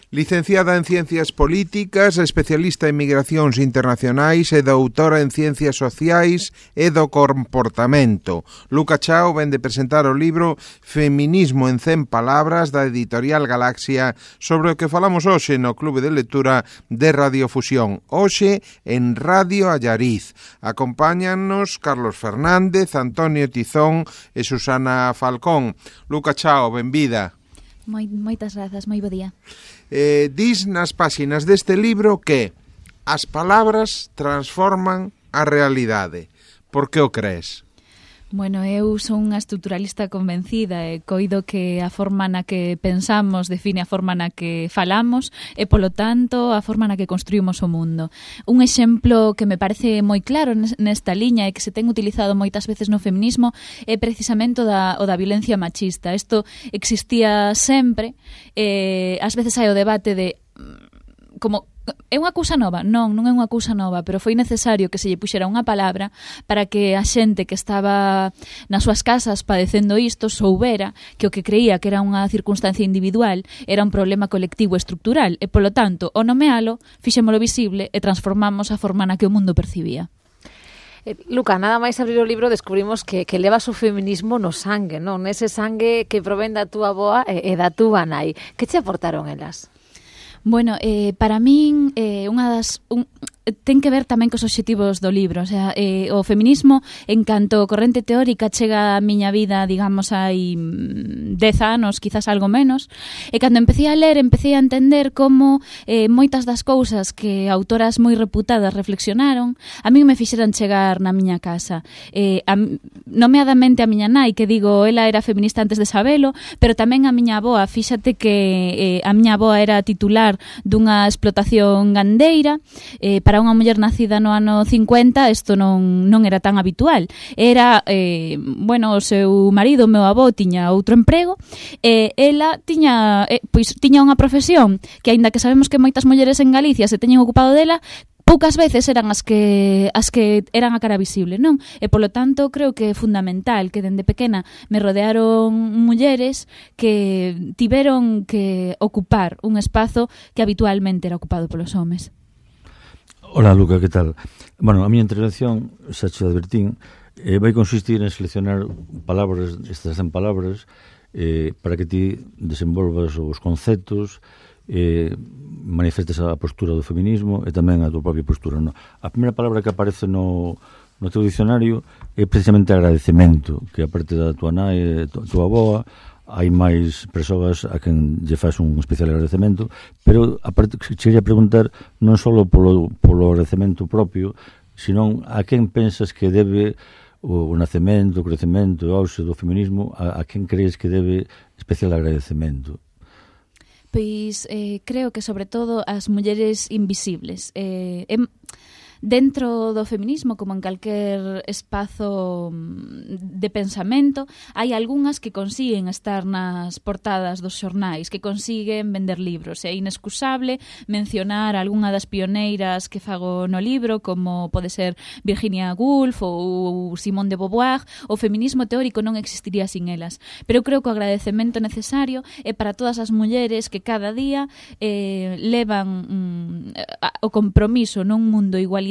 Licenciada en Ciencias Políticas, especialista en migracións internacionais e doutora en Ciencias Sociais e do Comportamento. Luca Chao vén de presentar o libro Feminismo en 100 palabras da editorial Galaxia, sobre o que falamos hoxe no Clube de Lectura de Radiofusión. Hoxe en Radio Allariz. Acompáñanos Carlos Fernández, Antonio Tizón e Susana Falcón. Luca Chao, benvida. Moitas grazas, moi bo día. Dis nas páxinas deste libro que as palabras transforman a realidade. Por que o crees? Bueno, eu son unha estruturalista convencida e coido que a forma na que pensamos define a forma na que falamos e, polo tanto, a forma na que construímos o mundo. Un exemplo que me parece moi claro nesta liña e que se ten utilizado moitas veces no feminismo é precisamente o da violencia machista. Isto existía sempre, ás veces hai o debate de como é unha cousa nova? Non é unha cousa nova, pero foi necesario que se lle puxera unha palabra para que a xente que estaba nas súas casas padecendo isto soubera que o que creía que era unha circunstancia individual era un problema colectivo estructural e, polo tanto, o nomealo, fixémolo visible e transformamos a forma na que o mundo percibía. Luca, nada máis abrir o libro descubrimos que levas o feminismo no sangue, non? Ese sangue que provén da túa avoa e da túa nai. Que te aportaron elas? Bueno, para min ten que ver tamén cos obxectivos do libro, o sea, o feminismo en canto corrente teórica chega a miña vida, digamos, hai 10 anos, quizás algo menos, e cando empecé a ler, empecé a entender como moitas das cousas que autoras moi reputadas reflexionaron, a min me fixeran chegar na miña casa. Nomeadamente a miña nai, que digo, ela era feminista antes de sabelo, pero tamén a miña avoa, fíxate que a miña avoa era titular dunha explotación gandeira, para unha muller nacida no ano 50 isto non era tan habitual. Era, o seu marido, o meu avó, tiña outro emprego e ela tiña unha profesión que, aínda que sabemos que moitas mulleres en Galicia se teñen ocupado dela, poucas veces eran as que eran a cara visible, non? E, polo tanto, creo que é fundamental que dende pequena me rodearon mulleres que tiveron que ocupar un espazo que habitualmente era ocupado polos homes. Hola, Luca, que tal? Bueno, a miña intervención, xa che advertín, vai consistir en seleccionar palabras, estas 100 palabras, para que ti desenvolvas os conceptos, manifestes a postura do feminismo e tamén a tua propia postura. No? A primeira palabra que aparece no teu dicionario é precisamente agradecemento, que a parte da tua nai e tua avoa, hai máis persoas a quen lle faz un especial agradecemento, pero aparte quería preguntar non só polo agradecemento propio, sino a quen pensas que debe o nacemento, o crecemento, o auxe do feminismo, a quen crees que debe especial agradecemento? Pois creo que sobre todo as mulleres invisibles. Dentro do feminismo, como en calquer espazo de pensamento, hai algunhas que consiguen estar nas portadas dos xornais, que consiguen vender libros. É inexcusable mencionar algunha das pioneiras que fago no libro, como pode ser Virginia Woolf ou Simone de Beauvoir. O feminismo teórico non existiría sin elas. Pero eu creo que o agradecemento necesario é para todas as mulleres que cada día levan o compromiso nun mundo igualitario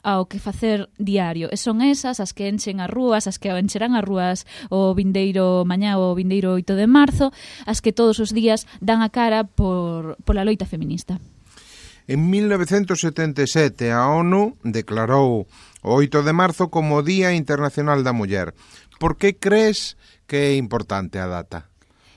ao que facer diario. E son esas as que enchen as rúas, as que encherán as rúas o vindeiro mañá ou o vindeiro 8 de marzo, as que todos os días dan a cara pola loita feminista. En 1977 a ONU declarou o 8 de marzo como Día Internacional da Muller. Por que crees que é importante a data?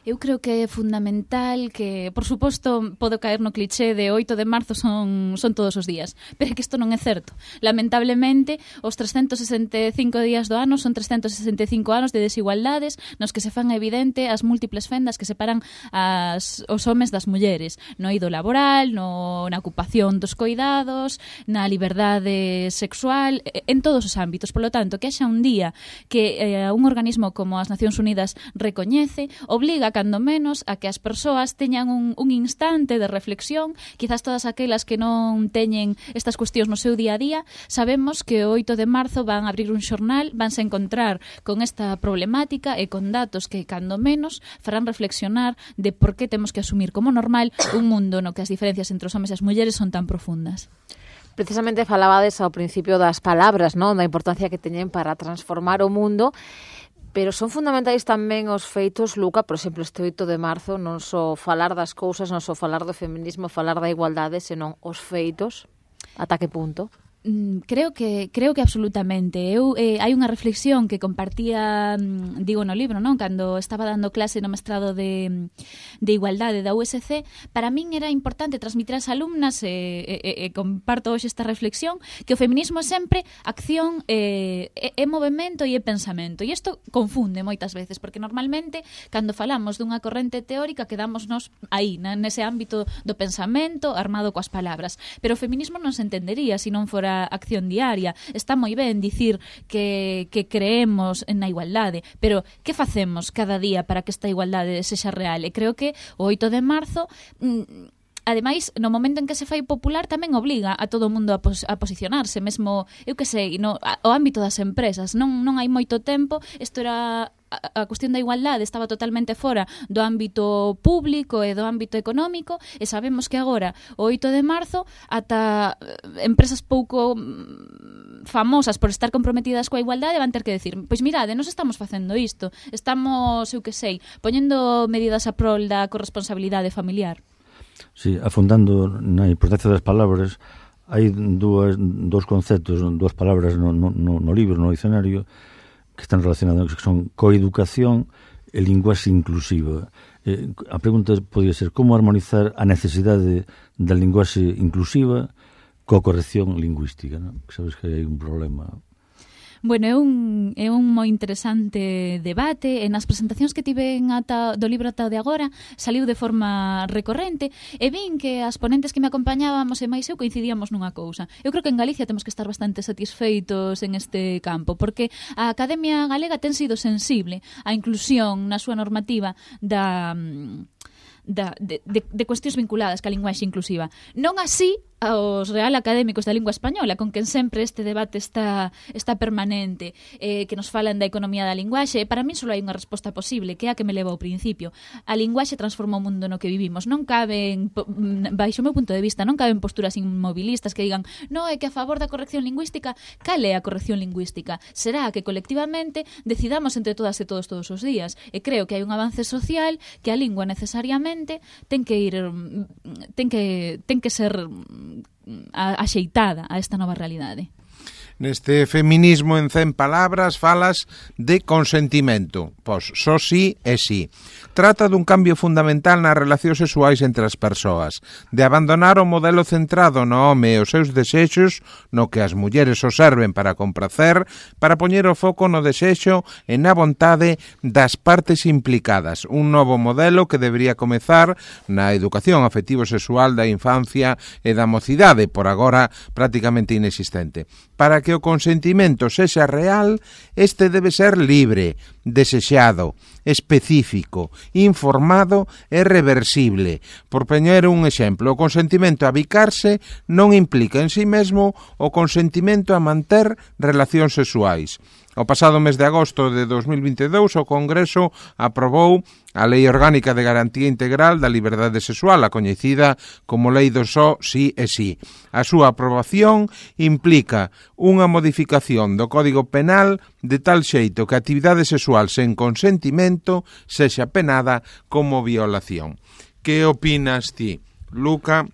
Eu creo que é fundamental que, por suposto, podo caer no cliché de 8 de marzo son todos os días, pero é que isto non é certo. Lamentablemente, os 365 días do ano son 365 anos de desigualdades nos que se fan evidente as múltiples fendas que separan os homes das mulleres, no eido laboral, na ocupación dos coidados, na liberdade sexual, en todos os ámbitos. Por lo tanto, que haxa un día que un organismo como as Nacións Unidas recoñece, obliga cando menos, a que as persoas teñan un instante de reflexión, quizás todas aquelas que non teñen estas cuestións no seu día a día. Sabemos que o 8 de marzo van a abrir un xornal, vanse encontrar con esta problemática e con datos que, cando menos, farán reflexionar de por que temos que asumir como normal un mundo no que as diferencias entre os homes e as mulleres son tan profundas. Precisamente falabades ao principio das palabras, non? Da importancia que teñen para transformar o mundo. Pero son fundamentais tamén os feitos, Luca, por exemplo, este 8 de marzo, non só falar das cousas, non só falar do feminismo, falar da igualdade, senón os feitos, ata que punto? Creo que absolutamente. Hai unha reflexión que compartía, digo no libro, non? Cando estaba dando clase no mestrado de igualdade da USC, para min era importante transmitir ás alumnas e comparto hoxe esta reflexión, que o feminismo é sempre acción, é movimento e é pensamento. E isto confunde moitas veces, porque normalmente cando falamos dunha corrente teórica quedámonos aí, nese ámbito do pensamento armado coas palabras. Pero o feminismo non se entendería se non fora acción diaria. Está moi ben dicir que creemos na igualdade, pero que facemos cada día para que esta igualdade sexa real? E creo que o 8 de marzo ademais, no momento en que se fai popular tamén obliga a todo o mundo a posicionarse, mesmo, eu que sei, o ámbito das empresas. Non hai moito tempo, isto era a cuestión da igualdade estaba totalmente fora do ámbito público e do ámbito económico, e sabemos que agora, o 8 de marzo, ata empresas pouco famosas por estar comprometidas coa igualdade van ter que decir, pois mirade, nos estamos facendo isto, estamos, eu que sei, poñendo medidas a prol da corresponsabilidade familiar. Sí, afundando na importancia das palabras, hai dous conceptos, dúas palabras no libro, no dicionario, que están relacionadas, que son coeducación e linguaxe inclusiva. A pregunta podría ser como armonizar a necesidade da linguaxe inclusiva coa corrección lingüística, non? Sabes que hai un problema. Bueno, é un moi interesante debate, e nas presentacións que tiven do libro ata de agora saliu de forma recorrente, e vin que as ponentes que me acompañábamos e máis eu coincidíamos nunha cousa. Eu creo que en Galicia temos que estar bastante satisfeitos en este campo, porque a Academia Galega ten sido sensible á inclusión na súa normativa de cuestións vinculadas ca linguaxe inclusiva. Non así aos Real Académicos da Lingua Española, con quen sempre este debate está permanente, que nos falan da economía da linguaxe. Para mí só hai unha resposta posible, que é a que me leva ao principio. A linguaxe transforma o mundo no que vivimos. Non caben, baixo o meu punto de vista, non caben posturas inmobilistas que digan, no, é que a favor da corrección lingüística. Cal é a corrección lingüística? Será que colectivamente decidamos entre todas e todos os días. E creo que hai un avance social que a lingua necesariamente ten que ser axeitada a esta nova realidade. Neste feminismo en 100 palabras falas de consentimento, pois só sí é sí. Trata dun cambio fundamental nas relacións sexuais entre as persoas, de abandonar o modelo centrado no home e os seus desexos, no que as mulleres o serven para compracer, para poñer o foco no desexo e na vontade das partes implicadas. Un novo modelo que debería comezar na educación afectivo-sexual da infancia e da mocidade, por agora prácticamente inexistente. Para que o consentimento sexa real, este debe ser libre, desexado, específico, informado e reversible. Por poñer un exemplo, o consentimento a bicarse non implica en sí mesmo o consentimento a manter relacións sexuais. O pasado mes de agosto de 2022 o Congreso aprobou a Lei Orgánica de Garantía Integral da Liberdade Sexual, a coñecida como Lei do Só Sí e Sí. A súa aprobación implica unha modificación do Código Penal de tal xeito que a actividade sexual sen consentimento sexa penada como violación. Que opinas ti, Luca,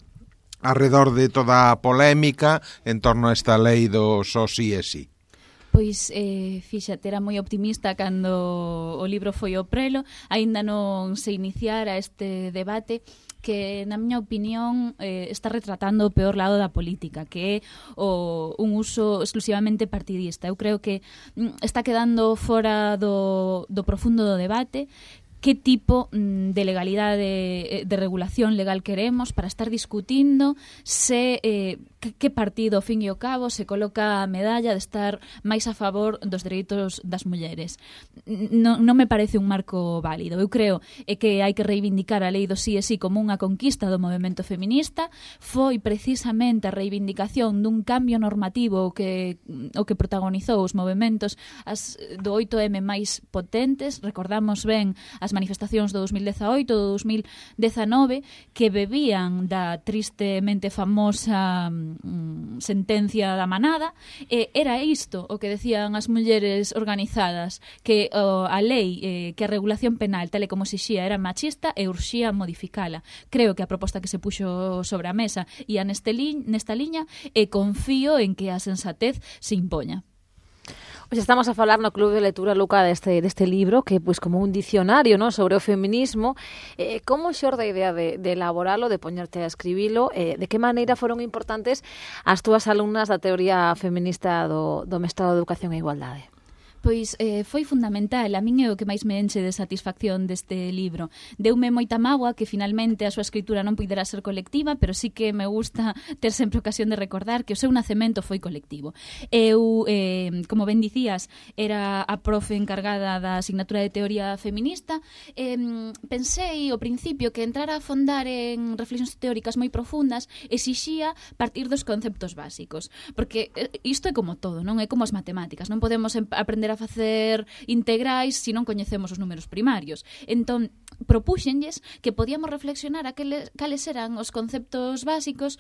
arredor de toda a polémica en torno a esta lei do Só Sí e Sí? Pois, fíxate, era moi optimista cando o libro foi ao prelo, aínda non se iniciara este debate que, na miña opinión, está retratando o peor lado da política, que é un uso exclusivamente partidista. Eu creo que está quedando fora do profundo do debate, que tipo de legalidade, de regulación legal queremos para estar discutindo se que partido, ao fin e ao cabo, se coloca a medalla de estar máis a favor dos dereitos das mulleres. Non me parece un marco válido. Eu creo que hai que reivindicar a lei do sí e sí como unha conquista do movemento feminista. Foi precisamente a reivindicación dun cambio normativo o que protagonizou os movementos do 8M máis potentes. Recordamos ben as manifestacións do 2018, do 2019, que bebían da tristemente famosa sentencia da manada. Era isto o que decían as mulleres organizadas, que a lei, que a regulación penal tal e como exixía era machista e urxía modificala. Creo que a proposta que se puxo sobre a mesa ia nesta liña e confío en que a sensatez se impoña. Hoxe estamos a falar no Club de Lectura, Luca, deste libro, que pois como un dicionario, ¿no?, sobre o feminismo. Como xorde a idea de elaboralo, de poñerte a escribilo? De que maneira foron importantes as túas alumnas da teoría feminista do mestrado de Educación e Igualdade? Pois foi fundamental. A min é o que máis me enche de satisfacción deste libro. Deume moita mágoa que finalmente a súa escritura non puidera ser colectiva, pero sí que me gusta ter sempre ocasión de recordar que o seu nacemento foi colectivo. Eu, como ben dicías, era a profe encargada da asignatura de teoría feminista. Pensei ao principio que entrar a afondar en reflexións teóricas moi profundas exixía partir dos conceptos básicos, porque isto é como todo, non é como as matemáticas, non podemos aprender a facer integrais se non coñecemos os números primarios. Entón, propúxenlles que podíamos reflexionar cales eran os conceptos básicos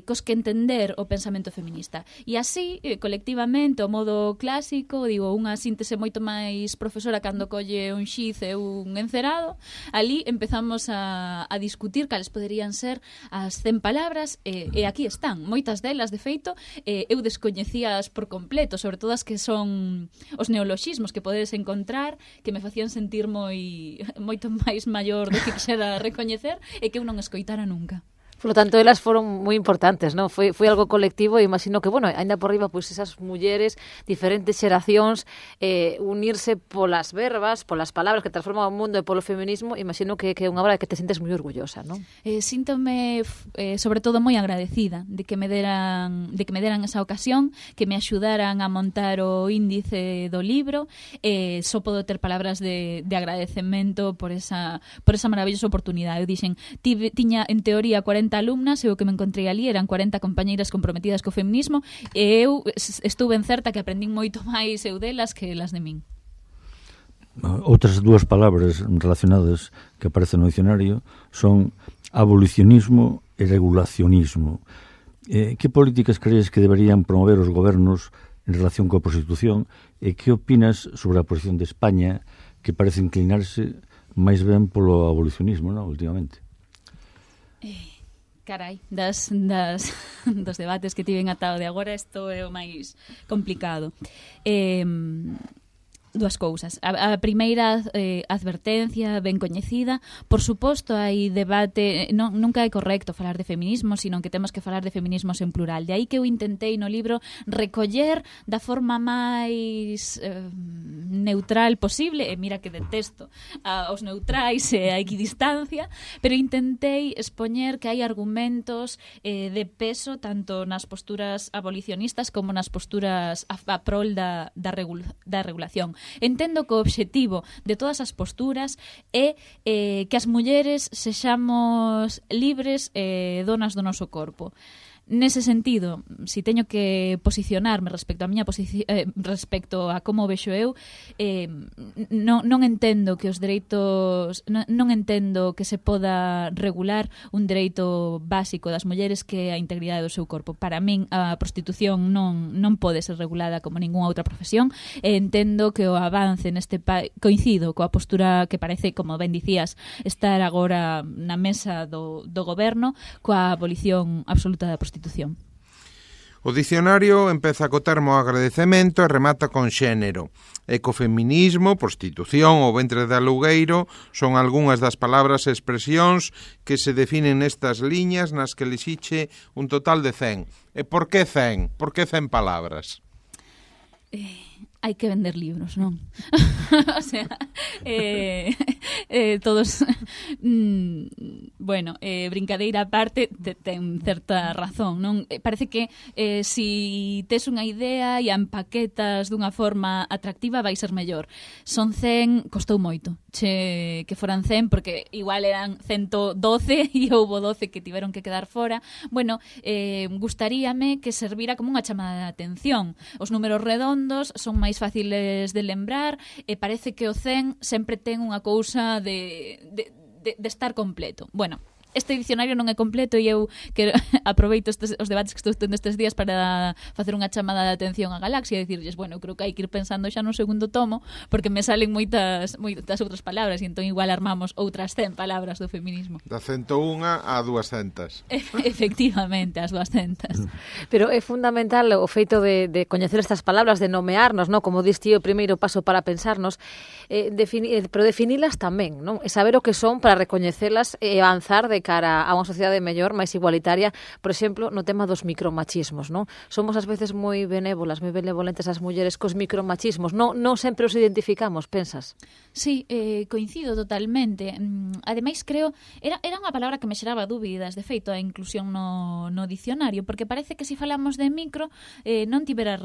cos que entender o pensamento feminista. E así, colectivamente, o modo clásico, digo, unha síntese moito máis profesora cando colle un xiz e un encerado, ali empezamos a discutir cales poderían ser as 100 palabras, e aquí están. Moitas delas, de feito, eu descoñecías por completo, sobre todo as que son os neoloxismos que podedes encontrar, que me facían sentir moito máis maior do que quixera recoñecer e que eu non escoitara nunca. Por lo tanto, elas foron moi importantes, non? Foi algo colectivo e imagino que, bueno, ainda por riba, pois esas mulleres, diferentes xeracións, unirse polas verbas, polas palabras que transforman o mundo e polo feminismo, imagino que é unha obra que te sentes moi orgullosa, non? Síntome, sobre todo, moi agradecida de que me deran esa ocasión, que me axudaran a montar o índice do libro. Só podo ter palabras de agradecemento por esa maravillosa oportunidade. Eu dixen, tiña en teoría 40 alumnas e o que me encontrei ali eran 40 compañeiras comprometidas co feminismo e eu estuve en certa que aprendín moito máis eu delas que elas de min. Outras dúas palabras relacionadas que aparecen no dicionario son abolicionismo e regulacionismo. Que políticas crees que deberían promover os gobernos en relación coa prostitución e que opinas sobre a posición de España, que parece inclinarse máis ben polo abolicionismo, non, últimamente? Carai, dos debates que tiven ata o de agora, isto é o máis complicado. Dúas cousas. A primeira advertencia ben coñecida. Por suposto, hai debate, nunca é correcto falar de feminismo, sino que temos que falar de feminismos en plural. De aí que eu intentei no libro recoller da forma máis neutral posible, e mira que detesto aos neutrais e a equidistancia, pero intentei expoñer que hai argumentos de peso tanto nas posturas abolicionistas como nas posturas a prol da regulación. Entendo que o obxectivo de todas as posturas é que as mulleres sexamos libres e donas do noso corpo. Nese sentido, si teño que posicionarme respecto a miña respecto a como vexo eu, non entendo que os dereitos, non entendo que se poda regular un dereito básico das mulleres que é a integridade do seu corpo. Para min a prostitución non pode ser regulada como ningunha outra profesión, e entendo que o avance neste coincido coa postura que parece, como ben dicías, estar agora na mesa do goberno, coa abolición absoluta da prostitución. O dicionario empeza co termo agradecemento e remata con xénero. Ecofeminismo, prostitución ou ventre de alugueiro son algunhas das palabras e expresións que se definen nestas liñas nas que elixiche un total de 100. E por que 100? Por que 100 palabras? hai que vender libros, non? O sea, todos bueno, brincadeira aparte ten certa razón, non? Parece que si tes unha idea e a empaquetas dunha forma atractiva vai ser mellor. Son 100, costou moito que foran 100 porque igual eran 112 e houbo 12 que tiveron que quedar fora. Bueno, gustaríame que servira como unha chamada de atención. Os números redondos son máis fáciles de lembrar e parece que o 100 sempre ten unha cousa de estar completo. Bueno, este dicionario non é completo e eu que aproveito os debates que estou tendo estes días para facer unha chamada de atención á galaxia e dicirlles, bueno, creo que hai que ir pensando xa no segundo tomo porque me salen moitas outras palabras e entón igual armamos outras 100 palabras do feminismo. Da 101 a 200. Efectivamente, as 200. Pero é fundamental o feito de coñecer estas palabras, de nomearnos, ¿no? Como dis ti, o primeiro paso para pensarnos, pero definilas tamén, non? E saber o que son para recoñecelas e avanzar de cara a unha sociedade mellor, máis igualitaria, por exemplo, no tema dos micromachismos, non? Somos ás veces moi benévolas, moi benevolentes as mulleres cos micromachismos, non sempre os identificamos, pensas? Sí, coincido totalmente. Ademais, creo, era unha palabra que me xeraba dúbidas, de feito, a inclusión no dicionario, porque parece que se falamos de micro non tivera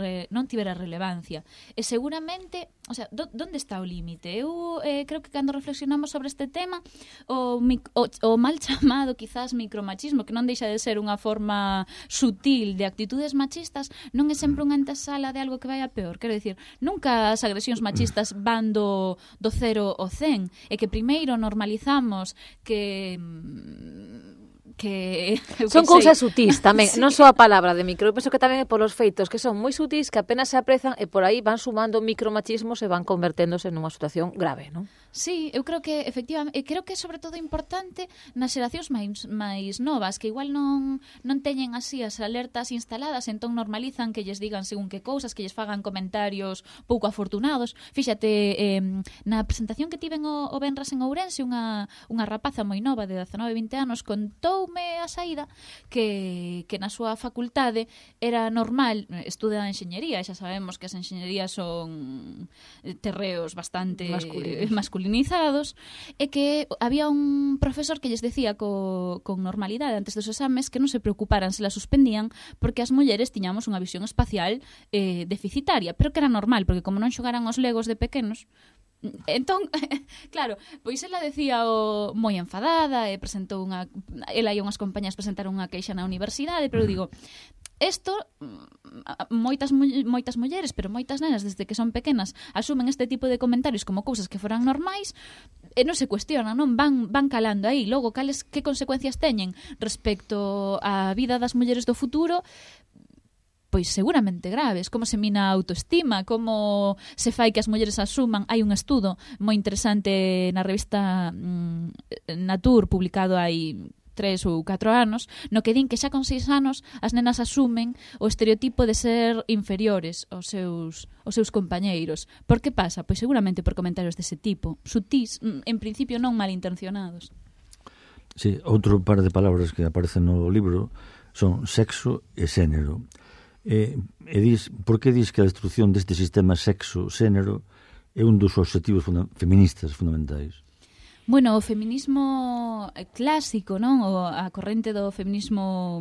relevancia. E seguramente, o sea, onde está o límite? Eu creo que cando reflexionamos sobre este tema, o mal chamado quizás micromachismo, que non deixa de ser unha forma sutil de actitudes machistas, non é sempre unha antesala de algo que vai a peor. Quero dicir, nunca as agresións machistas van do 0 ao 100, e que primeiro normalizamos que son cousas sutís tamén, sí. Non só a palabra de micro, eu penso que tamén é polos feitos que son moi sutís, que apenas se aprezan e por aí van sumando micromachismos e van converténdose nunha situación grave, non? Sí, eu creo que efectivamente, creo que é sobre todo importante nas xeracións máis novas, que igual non teñen así as alertas instaladas, entón normalizan que lles digan según que cousas, que lles fagan comentarios pouco afortunados. Fíxate, na presentación que tiven o venres en Ourense, unha rapaza moi nova de 19-20 anos contoume a saída que na súa facultade era normal, estuda enxeñería, xa sabemos que as enxeñerías son terreos bastante masculinizados, e que había un profesor que lles decía con normalidade antes dos exames que non se preocuparan se la suspendían porque as mulleres tiñamos unha visión espacial deficitaria, pero que era normal, porque como non xogaran os legos de pequenos. Entón, claro, pois ela decía moi enfadada e presentou ela e unhas compañías presentaron unha queixa na universidade, pero eu digo, isto moitas mulleres, pero moitas nenas desde que son pequenas asumen este tipo de comentarios como cousas que foran normais e non se cuestionan, non van calando aí. Logo, que consecuencias teñen respecto á vida das mulleres do futuro? Pois seguramente graves, como se mina a autoestima, como se fai que as mulleres asuman. Hai un estudo moi interesante na revista Nature, publicado hai 3 ou 4 anos, no que din que xa con 6 anos as nenas asumen o estereotipo de ser inferiores aos seus compañeiros. Por que pasa? Pois seguramente por comentarios dese tipo, sutís, en principio non malintencionados. Sí, outro par de palabras que aparecen no libro son sexo e xénero. Por que dis que a destrucción deste sistema sexo-xénero é un dos obxectivos feministas fundamentais? Bueno, o feminismo clásico, non? A corrente do feminismo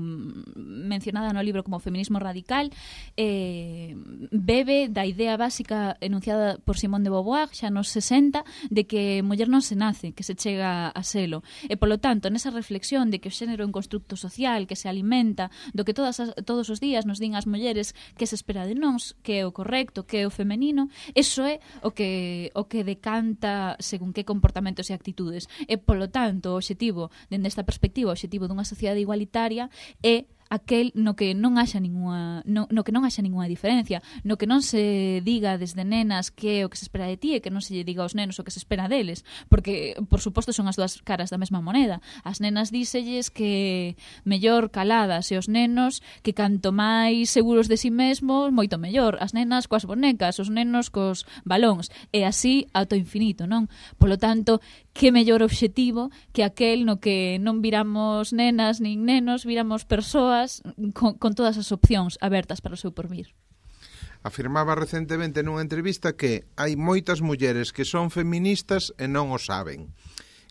mencionada no libro como feminismo radical bebe da idea básica enunciada por Simone de Beauvoir xa nos 60 de que muller non se nace, que se chega a selo. E, polo tanto, nesa reflexión de que o xénero é un constructo social que se alimenta do que todos os días nos din as mulleres que se espera de nós, que é o correcto, que é o femenino, eso é o que decanta según que comportamentos e actitudes. E, polo tanto, o obxectivo, dende esta perspectiva, o obxectivo dunha sociedade igualitaria é aquel no que non haxa ningunha diferencia, no que non se diga desde nenas que é o que se espera de ti e que non se lle diga aos nenos o que se espera deles, porque, por suposto, son as dúas caras da mesma moneda. As nenas díselles que mellor caladas e os nenos que canto máis seguros de si mesmos, moito mellor. As nenas coas bonecas, os nenos cos balóns, e así ata o infinito, non? Polo tanto, que mellor obxectivo que aquel no que non viramos nenas nin nenos, viramos persoas con todas as opcións abertas para o seu porvir. afirmaba recentemente nunha entrevista que hai moitas mulleres que son feministas e non o saben.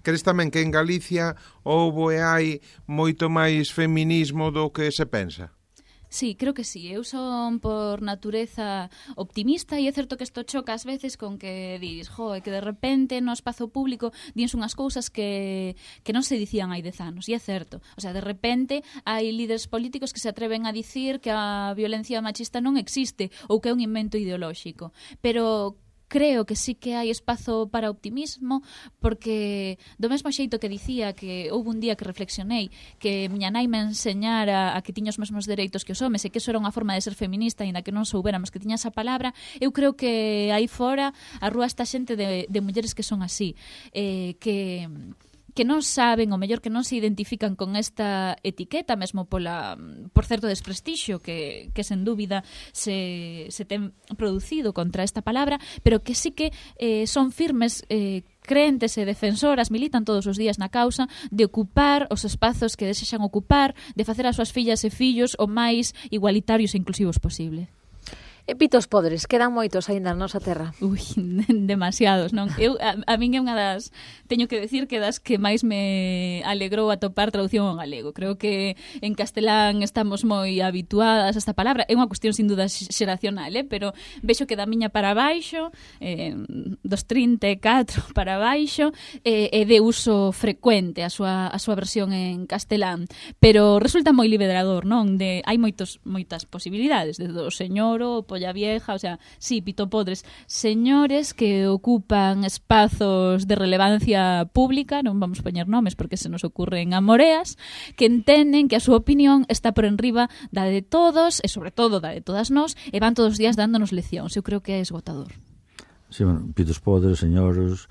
Crees tamén que en Galicia houbo e hai moito máis feminismo do que se pensa? Sí, creo que sí. Eu son por natureza optimista e é certo que isto choca ás veces con que dis, que de repente no espazo público dins unhas cousas que non se dicían hai 10 anos. E é certo. O sea, de repente hai líderes políticos que se atreven a dicir que a violencia machista non existe ou que é un invento ideolóxico. Pero creo que sí que hai espazo para optimismo, porque do mesmo xeito que dicía que houve un día que reflexionei que miña nai me enseñara a que tiña os mesmos dereitos que os homes e que eso era unha forma de ser feminista e na que non soubéramos que tiña esa palabra, eu creo que aí fora a rúa está xente de mulleres que son así, que non saben, ou mellor que non se identifican con esta etiqueta, mesmo por certo desprestixio que sen dúbida se ten producido contra esta palabra, pero que sí que son firmes, crentes e defensoras, militan todos os días na causa de ocupar os espazos que desexan ocupar, de facer as súas fillas e fillos o máis igualitarios e inclusivos posible. E pitos podres, quedan moitos aínda na nosa terra. Ui, demasiados, non? Eu, a min é unha das, teño que decir que das que máis me alegrou atopar traducción ao galego. Creo que en castelán estamos moi habituadas a esta palabra. É unha cuestión sin duda xeracional, pero vexo que da miña para baixo, dos 34 para baixo, é de uso frecuente a súa versión en castelán. Pero resulta moi liberador, non? Hai moitas posibilidades, desde o señoro, polla vieja, o sea, sí, pitopodres, señores que ocupan espazos de relevancia pública, non vamos poñer nomes porque se nos ocurren amoreas, que entenden que a súa opinión está por enriba da de todos e sobre todo da de todas nós e van todos os días dándonos leccións. Eu creo que é esgotador. Sí, bueno, pitos podres, señores,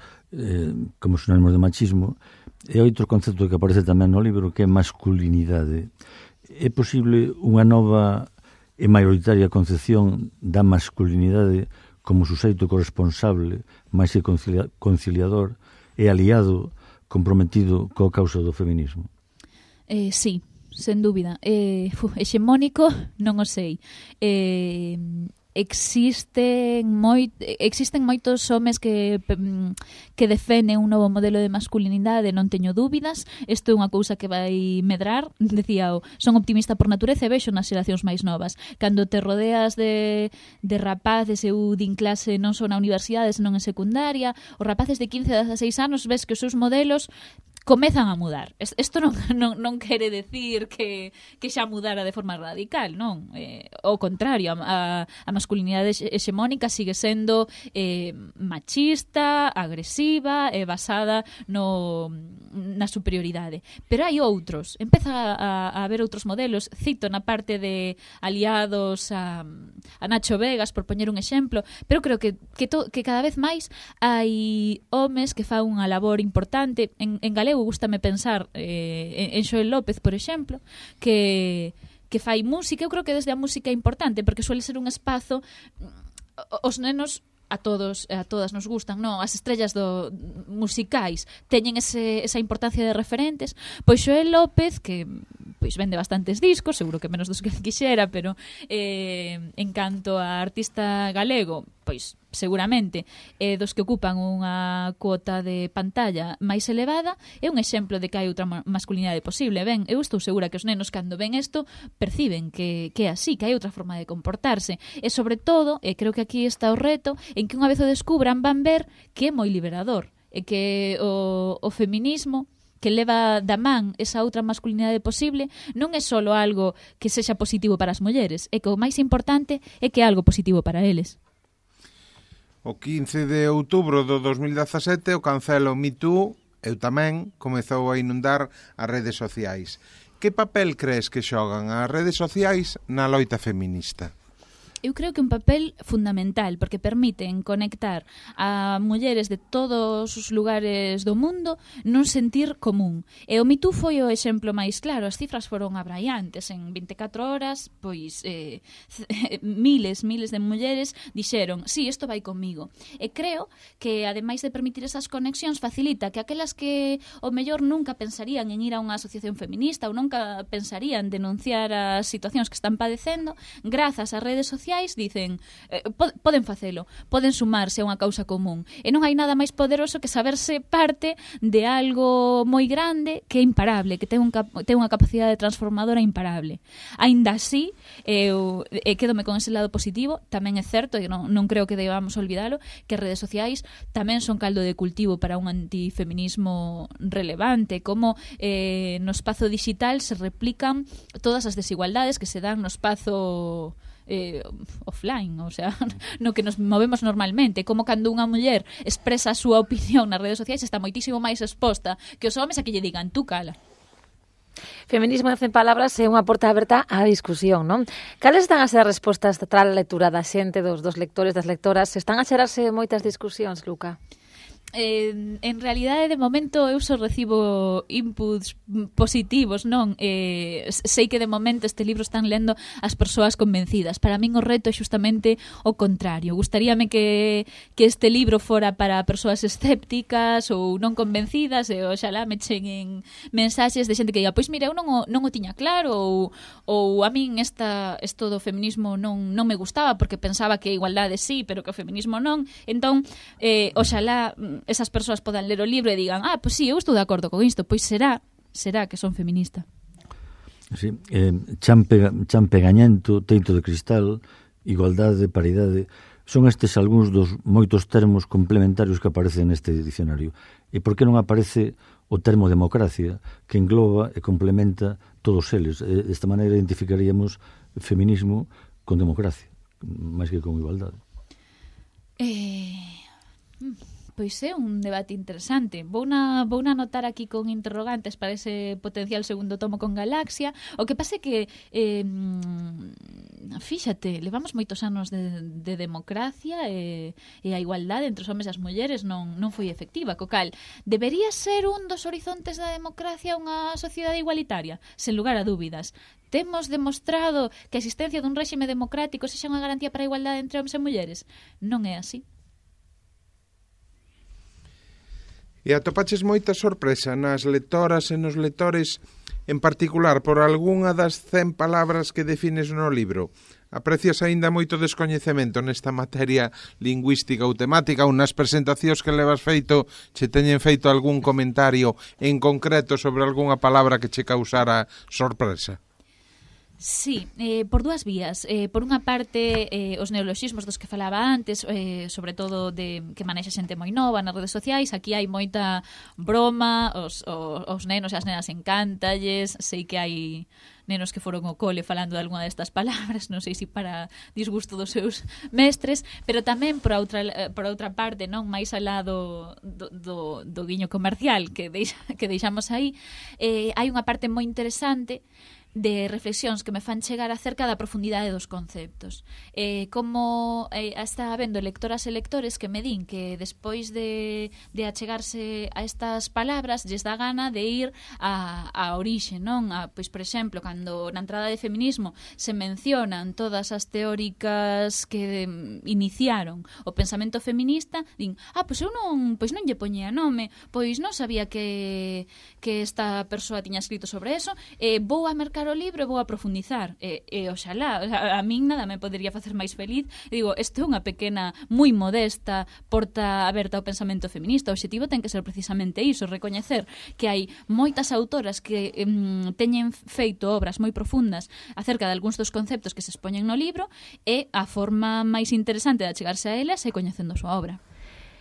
como sinónimos de machismo. E outro concepto que aparece tamén no libro que é masculinidade. É posible unha nova e maioritaria concepción da masculinidade como suxeito corresponsable, máis que conciliador e aliado comprometido coa causa do feminismo? Sí, sen dúbida. Hexemónico, non o sei. Existen moitos homes que defenden un novo modelo de masculinidade, non teño dúbidas. Isto é unha cousa que vai medrar, decía, son optimista por natureza e vexo nas xeracións máis novas. Cando te rodeas de rapaces, eu din clase non só na universidade, senón en secundaria, os rapaces de 15 a 16 anos ves que os seus modelos comezan a mudar. Isto non quere decir que xa mudara de forma radical, non? Ao contrario, a masculinidade hexemónica sigue sendo machista, agresiva e basada na superioridade. Pero hai outros. Empeza a haber outros modelos. Cito na parte de aliados a Nacho Vegas, por poñer un exemplo, pero creo que cada vez máis hai homes que fan unha labor importante. En galego gústame pensar en Xoel López, por exemplo, que fai música. Eu creo que desde a música é importante, porque suele ser un espazo, os nenos a todas nos gustan, non? As estrellas musicais teñen esa importancia de referentes. Pois Xoel López, que pois vende bastantes discos, seguro que menos dos que quixera, pero en canto a artista galego, pois seguramente dos que ocupan unha cuota de pantalla máis elevada, é un exemplo de que hai outra masculinidade posible. Ben, eu estou segura que os nenos cando ven isto perciben que é así, que hai outra forma de comportarse, e sobre todo, e creo que aquí está o reto, en que unha vez o descubran van ver que é moi liberador, e que o feminismo que leva da man esa outra masculinidade posible non é só algo que sexa positivo para as mulleres, é que o máis importante é que é algo positivo para eles. O 15 de outubro do 2017 o cancelo Me Too, eu tamén, comezou a inundar as redes sociais. Que papel crees que xogan as redes sociais na loita feminista? Eu creo que un papel fundamental, porque permiten conectar a mulleres de todos os lugares do mundo nun sentir común. E o Me Too foi o exemplo máis claro. As cifras foron abraiantes. En 24 horas, pois, miles de mulleres dixeron, sí, isto vai comigo. E creo que, ademais de permitir esas conexións, facilita que aquelas que, o mellor, nunca pensarían en ir a unha asociación feminista ou nunca pensarían denunciar as situacións que están padecendo, grazas ás redes sociais, sociais dicen poden facelo, poden sumarse a unha causa común, e non hai nada máis poderoso que saberse parte de algo moi grande que é imparable, que ten unha capacidade transformadora imparable. Aínda así, eu quedome con ese lado positivo. Tamén é certo, e non creo que debamos olvidalo, que as redes sociais tamén son caldo de cultivo para un antifeminismo relevante, como no espazo digital se replican todas as desigualdades que se dan no espazo offline, o sea, no que nos movemos normalmente, como cando unha muller expresa a súa opinión nas redes sociais está moitísimo máis exposta que os homes a que lle digan tú cala. Feminismo en 100 palabras é unha porta aberta á discusión, non? Cales están a ser as respostas tras a lectura da xente, dos lectores, das lectoras? Están a xerarse moitas discusións, Luca? En realidade, de momento, eu só recibo inputs positivos, non? Sei que de momento este libro están lendo as persoas convencidas. Para min o reto é justamente o contrario. Gustaríame que este libro fora para persoas escépticas ou non convencidas, e oxalá me cheguen mensaxes de xente que diga, pois mira, eu non o tiña claro, ou a min isto do feminismo non me gustaba porque pensaba que a igualdade sí, pero que o feminismo non. Entón, oxalá esas persoas podan ler o libro e digan, pois sí, eu estou de acordo con isto, pois será que son feminista. Sí, chan pegañento, teito de cristal, igualdade, paridade, son estes algúns dos moitos termos complementarios que aparecen neste dicionario. E por que non aparece o termo democracia, que engloba e complementa todos eles? Desta maneira identificaríamos feminismo con democracia, máis que con igualdade. Pois é un debate interesante. Vouna anotar aquí con interrogantes para ese potencial segundo tomo con Galaxia. O que pasa é que fíxate, levamos moitos anos de democracia e a igualdade entre os homes e as mulleres non foi efectiva. Co cal, debería ser un dos horizontes da democracia unha sociedade igualitaria? Sen lugar a dúbidas. Temos demostrado que a existencia dun réxime democrático sexa unha garantía para a igualdade entre homes e mulleres? Non é así. E atopaches moita sorpresa nas lectoras e nos lectores, en particular por algunha das 100 palabras que defines no libro. Aprecias aínda moito descoñecemento nesta materia lingüística ou temática, ou nas presentacións que levas feito che teñen feito algún comentario en concreto sobre algunha palabra que che causara sorpresa? Sí, por dúas vías. Por unha parte, os neoloxismos dos que falaba antes, sobre todo que manexa xente moi nova nas redes sociais. Aquí hai moita broma, os nenos e as nenas encántalles. Sei que hai nenos que foron ao cole falando de algunha destas palabras, non sei se para disgusto dos seus mestres, pero tamén por outra parte, non máis alá do guiño comercial que deixamos aí, hai unha parte moi interesante de reflexións que me fan chegar acerca da profundidade dos conceptos. Como está habendo lectoras e lectores que me din que despois de achegarse a estas palabras lles dá gana de ir a orixe, non? Pois, por exemplo, cando na entrada de feminismo se mencionan todas as teóricas que iniciaron o pensamento feminista, din, pois eu non lle poñía nome, pois non sabía que esta persoa tiña escrito sobre eso, vou a mercar o libro e vou a profundizar, oxalá, a min nada me podería facer máis feliz. Digo, isto é unha pequena, moi modesta porta aberta ao pensamento feminista. O obxectivo ten que ser precisamente iso, recoñecer que hai moitas autoras que teñen feito obras moi profundas acerca de algúns dos conceptos que se expoñen no libro, e a forma máis interesante de achegarse a elas é coñecendo a súa obra.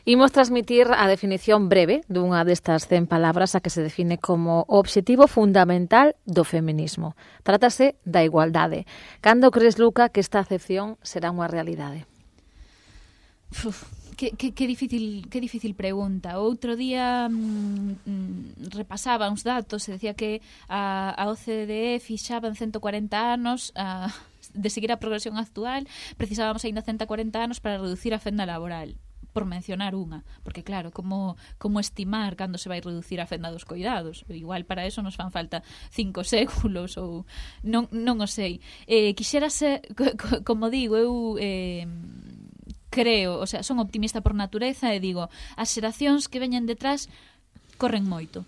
Imos transmitir a definición breve dunha destas 100 palabras a que se define como o obxectivo fundamental do feminismo. Trátase da igualdade. Cando crees, Luca, que esta acepción será unha realidade? Que difícil pregunta. Outro día repasaba uns datos e decía que a OCDE fixaba en 140 anos de seguir a progresión actual, precisábamos aínda 140 anos para reducir a fenda laboral, por mencionar unha, porque claro, como estimar cando se vai reducir a fenda dos coidados? Igual para eso nos fan falta 5 séculos ou non o sei. Quixera ser, como digo, eu creo, o sea, son optimista por natureza e digo, as xeracións que veñen detrás corren moito.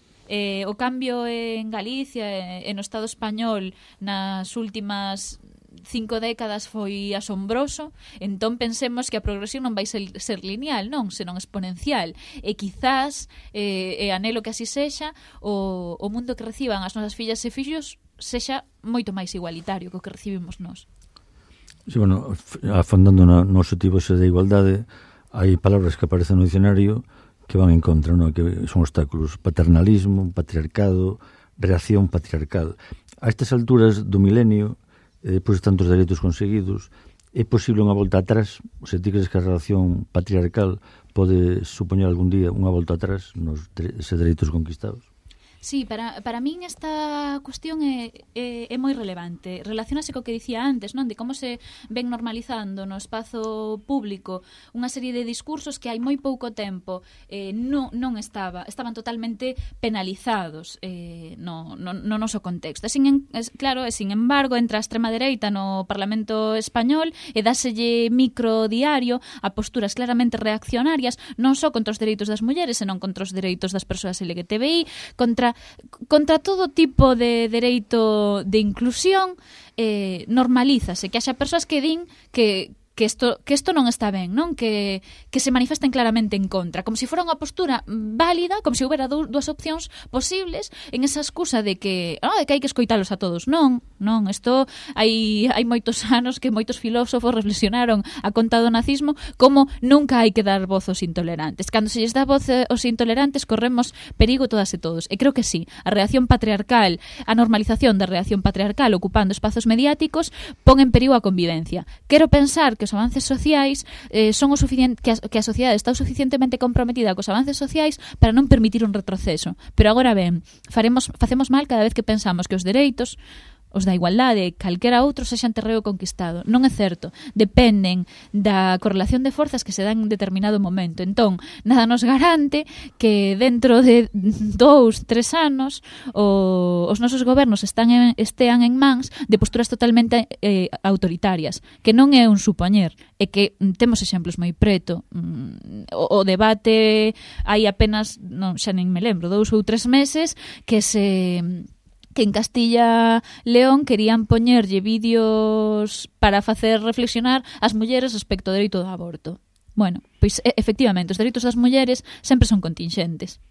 O cambio en Galicia e no Estado español nas últimas 5 décadas foi asombroso, entón pensemos que a progresión non vai ser lineal, non, senón exponencial, e quizás e anelo que así sexa, o mundo que reciban as nosas fillas e fillos sexa moito máis igualitario que o que recibimos nós. Sí, bueno, afondando no obxectivo ese de igualdade, hai palabras que aparecen no dicionario que van en contra, no? Que son obstáculos: paternalismo, patriarcado, reacción patriarcal. A estas alturas do milenio, depois de tantos dereitos conseguidos, é posible unha volta atrás? O sea, ti crees que a relación patriarcal pode supoñer algún día unha volta atrás nos dereitos conquistados? Sí, para min esta cuestión é moi relevante. Relacionase co que dicía antes, non? De como se ven normalizando no espazo público unha serie de discursos que hai moi pouco tempo non estaban totalmente penalizados no noso contexto. Claro, sin embargo, entra a extrema dereita no Parlamento español e dáselle micro diario a posturas claramente reaccionarias, non só contra os dereitos das mulleres, senón contra os dereitos das persoas LGTBI, contra todo tipo de dereito de inclusión. Normalízase que haxa persoas que din que isto non está ben, non? Que se manifesten claramente en contra, como se fora unha postura válida, como se houbera dúas opcións posibles, en esa excusa de que hai que escoitalos a todos. Non, isto hai moitos anos que moitos filósofos reflexionaron a conta do nazismo como nunca hai que dar voz aos intolerantes. Cando se lles dá voz aos intolerantes corremos perigo todas e todos. E creo que sí, a reacción patriarcal, a normalización da reacción patriarcal ocupando espazos mediáticos pon en perigo a convivencia. Quero pensar que os avances sociais son o suficiente, que a sociedade está o suficientemente comprometida cos avances sociais para non permitir un retroceso. Pero agora ben, facemos mal cada vez que pensamos que os dereitos, os da igualdade, calquera outro sexan terreo conquistado. Non é certo. Dependen da correlación de forzas que se dan en determinado momento. Entón, nada nos garante que dentro de 2-3 anos os nosos gobernos estean en mans de posturas totalmente autoritarias, que non é un supoñer, é que temos exemplos moi preto. O debate hai apenas, xa nen me lembro, 2 ou 3 meses que en Castilla León querían poñerlle vídeos para facer reflexionar as mulleres respecto ao dereito do aborto. Bueno, pois efectivamente, os dereitos das mulleres sempre son contingentes.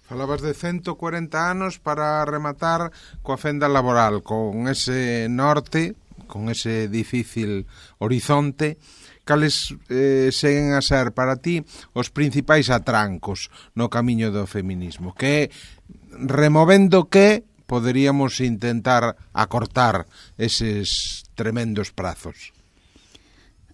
Falabas de 140 anos para rematar coa fenda laboral, con ese norte, con ese difícil horizonte. Cales seguen a ser para ti os principais atrancos no camiño do feminismo? Que removendo que poderíamos intentar acortar eses tremendos prazos?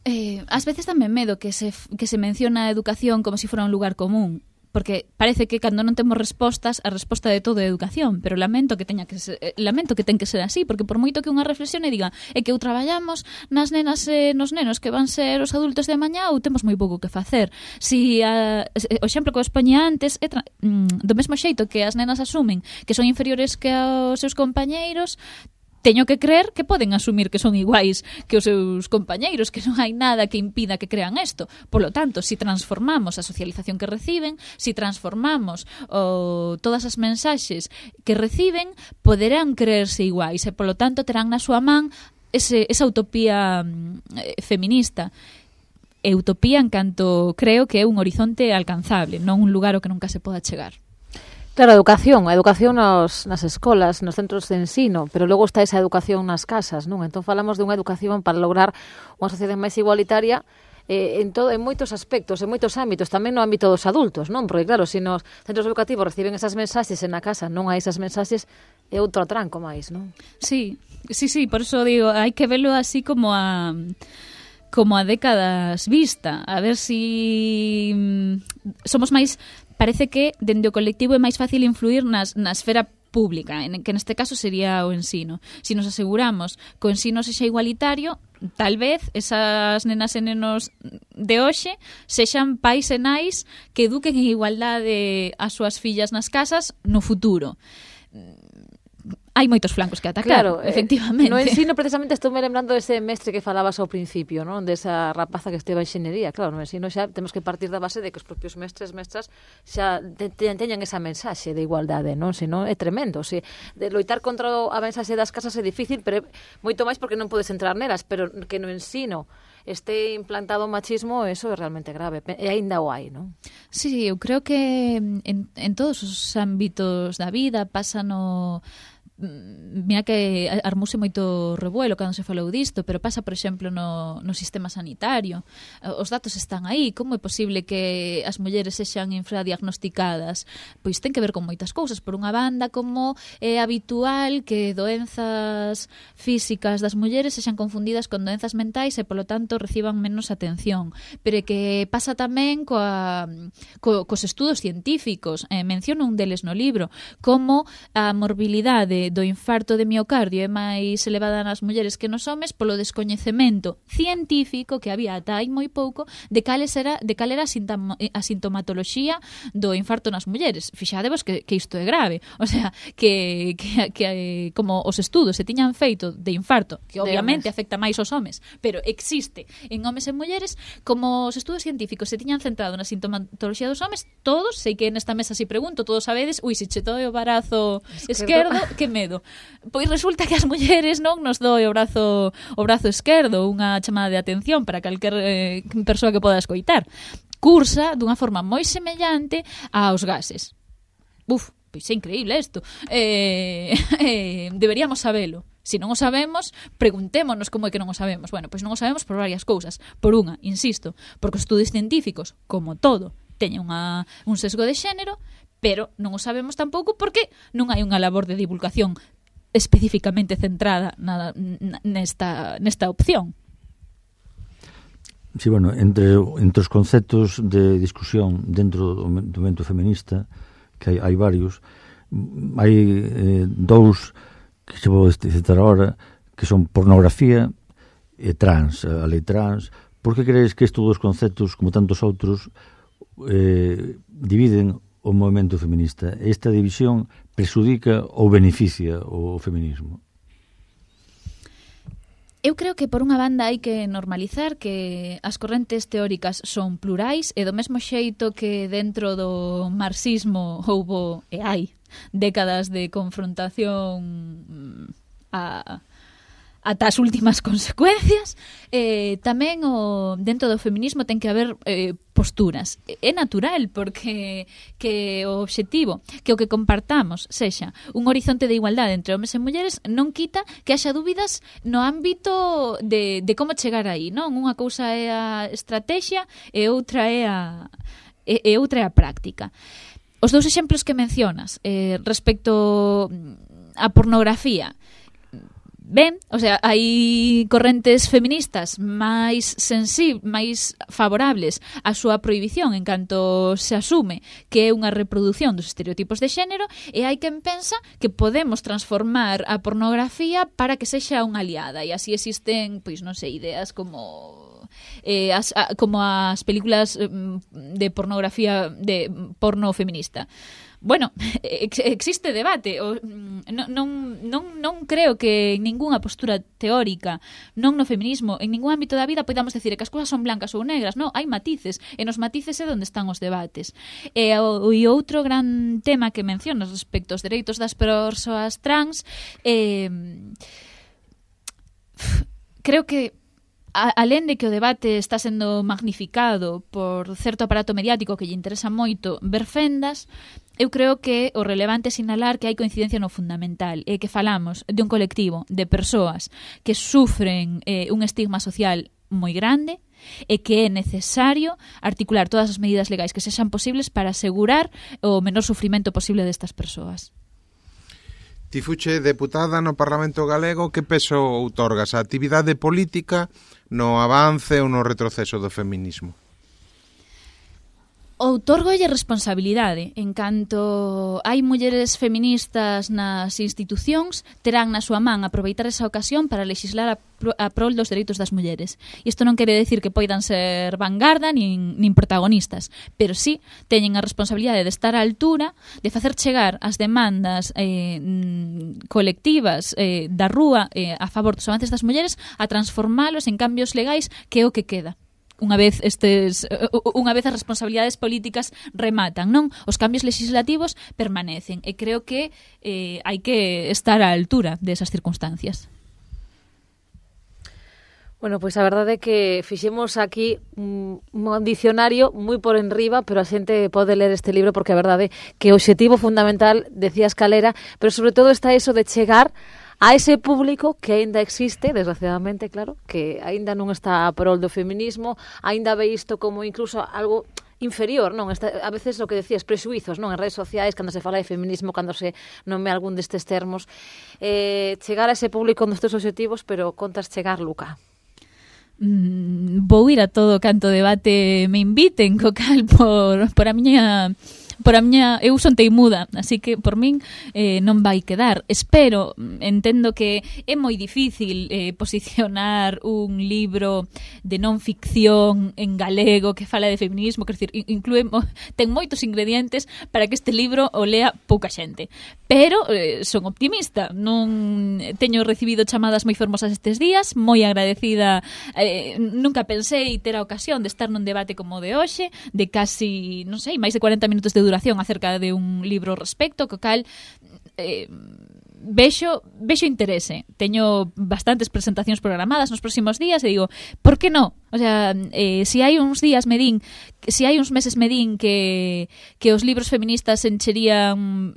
Ás veces tamén medo que se menciona a educación como se fora un lugar común, porque parece que cando non temos respostas, a resposta de todo é educación, pero lamento que ten que ser así, porque por moito que unha reflexione diga é que ou traballamos nas nenas e nos nenos que van ser os adultos de mañá ou temos moi pouco que facer. O exemplo que os poñía antes é do mesmo xeito que as nenas asumen que son inferiores que os seus compañeiros, teño que creer que poden asumir que son iguais que os seus compañeiros, que non hai nada que impida que crean isto. Por lo tanto, si transformamos a socialización que reciben, si transformamos todas as mensaxes que reciben, poderán creerse iguais e, por lo tanto, terán na súa man esa utopía feminista. E utopía en canto creo que é un horizonte alcanzable, non un lugar ao que nunca se poda chegar. Claro, a educación nas escolas, nos centros de ensino, pero logo está esa educación nas casas, non? Entón falamos dunha educación para lograr unha sociedade máis igualitaria en moitos aspectos, en moitos ámbitos, tamén no ámbito dos adultos, non? Porque claro, se nos centros educativos reciben esas mensaxes e na casa non hai esas mensaxes, é outro atranco máis, non? Sí, por eso digo, hai que velo así como a décadas vista, a ver si somos máis. Parece que dende o colectivo é máis fácil influir na esfera pública, que neste caso sería o ensino. Se nos aseguramos que o ensino sexa igualitario, tal vez esas nenas e nenos de hoxe sexan pais e nais que eduquen en igualdade as súas fillas nas casas no futuro. hai moitos flancos que atacar, claro, efectivamente. No ensino, precisamente, estou me lembrando dese mestre que falabas ao principio, non? Desa rapaza que esteva en xenería. Claro, no ensino xa temos que partir da base de que os propios mestres, mestras, xa teñan esa mensaxe de igualdade, non? Senón é tremendo. Se de loitar contra a mensaxe das casas é difícil, pero moito máis porque non podes entrar nelas, pero que no ensino este implantado o machismo, eso é realmente grave. E aínda o hai, non? Sí, eu creo que en todos os ámbitos da vida pasa no... Mira que armouse moito revuelo cando se falou disto, pero pasa, por exemplo, no sistema sanitario. Os datos están aí. Como é posible que as mulleres sexan infradiagnosticadas? Pois ten que ver con moitas cousas. Por unha banda, como é habitual que doenzas físicas das mulleres sexan confundidas con doenzas mentais e, polo tanto, reciban menos atención. Pero que pasa tamén cos estudos científicos. Menciono un deles no libro, como a morbilidade do infarto de miocardio é máis elevada nas mulleres que nos homes polo descoñecemento científico que había ata hai moi pouco de cal era a sintomatoloxía do infarto nas mulleres. Fixadevos que isto é grave. O sea, que como os estudos se tiñan feito de infarto, que obviamente afecta máis aos homes, pero existe en homes e mulleres, como os estudos científicos se tiñan centrado na sintomatoloxía dos homes, todos, sei que nesta mesa si pregunto, todos sabedes, se che doe o brazo esquerdo, que medo. Pois resulta que as mulleres non nos doe o brazo esquerdo, unha chamada de atención para calquer persoa que poda escoitar. Cursa dunha forma moi semellante aos gases. Pois é increíble isto. Deberíamos sabelo. Se non o sabemos, preguntémonos como é que non o sabemos. Bueno, pois non o sabemos por varias cousas. Por unha, insisto, porque os estudos científicos, como todo, teñen un sesgo de xénero, pero non o sabemos tampouco porque non hai unha labor de divulgación especificamente centrada nesta opción. Sí, bueno, entre os conceptos de discusión dentro do movimento feminista, que hai varios, hai dous que se vou citar agora, que son pornografía e trans, a lei trans. Por que crees que estes dous conceptos, como tantos outros, dividen o movimento feminista? Esta división prexudica ou beneficia o feminismo? Eu creo que por unha banda hai que normalizar que as correntes teóricas son plurais e do mesmo xeito que dentro do marxismo houbo e hai décadas de confrontación ata as últimas consecuencias, tamén dentro do feminismo ten que haber posturas. É natural, porque que o obxectivo, que o que compartamos sexa un horizonte de igualdade entre homes e mulleres, non quita que haxa dúbidas no ámbito de como chegar aí, non? Unha cousa é a estrategia e outra é a práctica. Os dous exemplos que mencionas respecto á pornografía, ben, o sea, hai correntes feministas máis favorables á súa prohibición en canto se asume que é unha reproducción dos estereotipos de xénero, e hai quen pensa que podemos transformar a pornografía para que sexa unha aliada, e así existen, pois non sei, ideas como as películas de pornografía, de porno feminista. Bueno, existe debate. Non creo que en ningunha postura teórica, non no feminismo, en ningún ámbito da vida podamos decir que as cousas son blancas ou negras. Non, hai matices, e nos matices é onde están os debates. E outro gran tema que mencionas respecto aos dereitos das persoas trans, creo que alén de que o debate está sendo magnificado por certo aparato mediático que lle interesa moito ver fendas, eu creo que o relevante é sinalar que hai coincidencia no fundamental, e que falamos de un colectivo de persoas que sufren un estigma social moi grande, e que é necesario articular todas as medidas legais que sexan posibles para asegurar o menor sufrimento posible destas persoas. Ti fuche deputada no Parlamento Galego, que peso outorgas a actividade política no avance ou no retroceso do feminismo? Outorgolle responsabilidade. En canto hai mulleres feministas nas institucións, terán na súa man aproveitar esa ocasión para lexislar a prol dos dereitos das mulleres. Isto non quere decir que poidan ser vanguarda nin protagonistas, pero sí teñen a responsabilidade de estar á altura, de facer chegar as demandas colectivas da rúa a favor dos avances das mulleres, a transformalos en cambios legais, que é o que queda. Unha vez as responsabilidades políticas rematan, non? Os cambios legislativos permanecen e creo que hai que estar á altura desas circunstancias. Bueno, pois a verdade é que fixemos aquí un dicionario moi por enriba, pero a xente pode ler este libro porque a verdade é que o obxectivo fundamental, decías Calera, pero sobre todo está eso de chegar a ese público que aínda existe, desgraciadamente, claro, que aínda non está a prol do feminismo, aínda ve isto como incluso algo inferior, non? A veces o que decías, prexuizos, non? En redes sociais, cando se fala de feminismo, cando se nome algún destes termos, chegar a ese público nos teus obxectivos, pero contas chegar, Luca? Vou ir a todo canto debate me inviten, co cal por a miña eu son teimuda, así que por min non vai quedar. Entendo que é moi difícil posicionar un libro de non ficción en galego que fala de feminismo, quer dizer, ten moitos ingredientes para que este libro o lea pouca xente. Pero son optimista, non teño recibido chamadas moi fermosas estes días, moi agradecida, nunca pensei ter a ocasión de estar nun debate como o de hoxe, de casi, non sei, máis de 40 minutos de duración acerca de un libro ao respecto, co cal vexo interese. Teño bastantes presentacións programadas nos próximos días e digo, por que non? O sea, se hai uns meses me din que os libros feministas encherían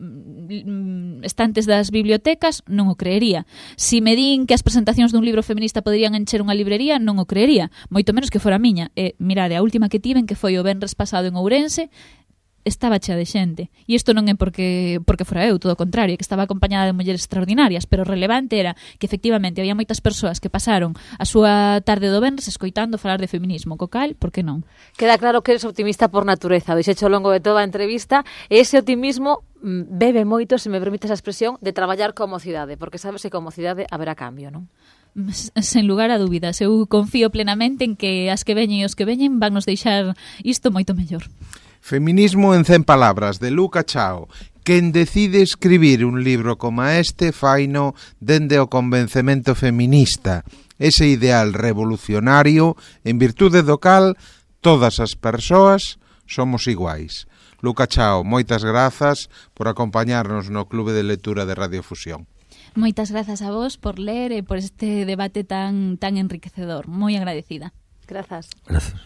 estantes das bibliotecas, non o creería. Se me din que as presentacións dun libro feminista poderían encher unha librería, non o creería, moito menos que fora miña. Mirade, a última que tiven, que foi o venres pasado en Ourense, estaba chea de xente. E isto non é porque fora eu, todo o contrario, que estaba acompañada de mulleres extraordinarias, pero o relevante era que efectivamente había moitas persoas que pasaron a súa tarde do venres escoitando falar de feminismo, co cal, por que non? Queda claro que eres optimista por natureza, dixecho ao longo de toda a entrevista, e ese optimismo bebe moito, se me permite esa expresión, de traballar como cidade, porque sabes que como cidade haberá cambio, non? Sen lugar a dúbidas, eu confío plenamente en que as que veñen e os que veñen van nos deixar isto moito mellor. Feminismo en 100 palabras, de Luca Chao. Quen decide escribir un libro como este faino dende o convencemento feminista, ese ideal revolucionario en virtude do cal todas as persoas somos iguais. Luca Chao, moitas grazas por acompañarnos no Clube de Lectura de Radio Fusión. Moitas grazas a vos por ler e por este debate tan enriquecedor. Moi agradecida. Grazas. Grazas.